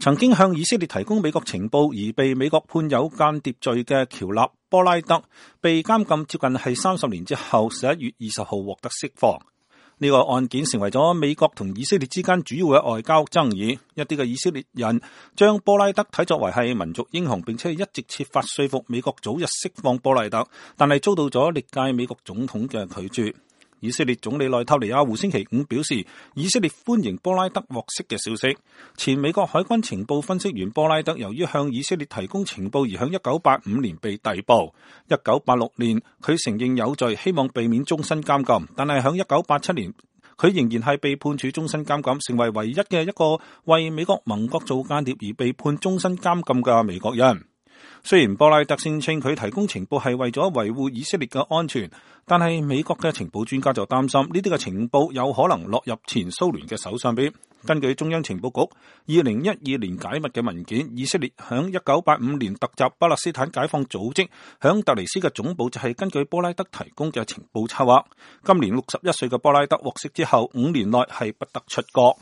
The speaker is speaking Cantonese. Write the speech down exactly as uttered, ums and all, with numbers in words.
曾經向以色列提供美國情報而被美國判有間諜罪嘅喬納波拉德，被監禁接近係三十年之後，十一月二十號獲得釋放。呢個案件成為咗美國同以色列之間主要嘅外交爭議。一啲嘅以色列人將波拉德睇作為係民族英雄，並且一直設法說服美國早日釋放波拉德，但係遭到咗歷屆美國總統嘅拒絕。以色列總理內塔尼亞胡星期五表示，以色列歡迎波拉德獲釋嘅消息。前美國海軍情報分析員波拉德由於向以色列提供情報而響一九八五年被逮捕。一九八六年佢承認有罪，希望避免終身監禁，但係響一九八七年佢仍然係被判處終身監禁，成為唯一嘅一個為美國盟國做間諜而被判終身監禁嘅美國人。雖然波拉德聲稱佢提供情報係為咗維護以色列嘅安全，但係美國嘅情報專家就擔心呢啲嘅情報有可能落入前蘇聯嘅手上邊。根據中央情報局二零一二年解密嘅文件，以色列響一九八五年突襲巴勒斯坦解放組織，響突尼斯嘅總部就係根據波拉德提供嘅情報策劃。今年六十一歲嘅波拉德獲釋之後，五年內係不得出國。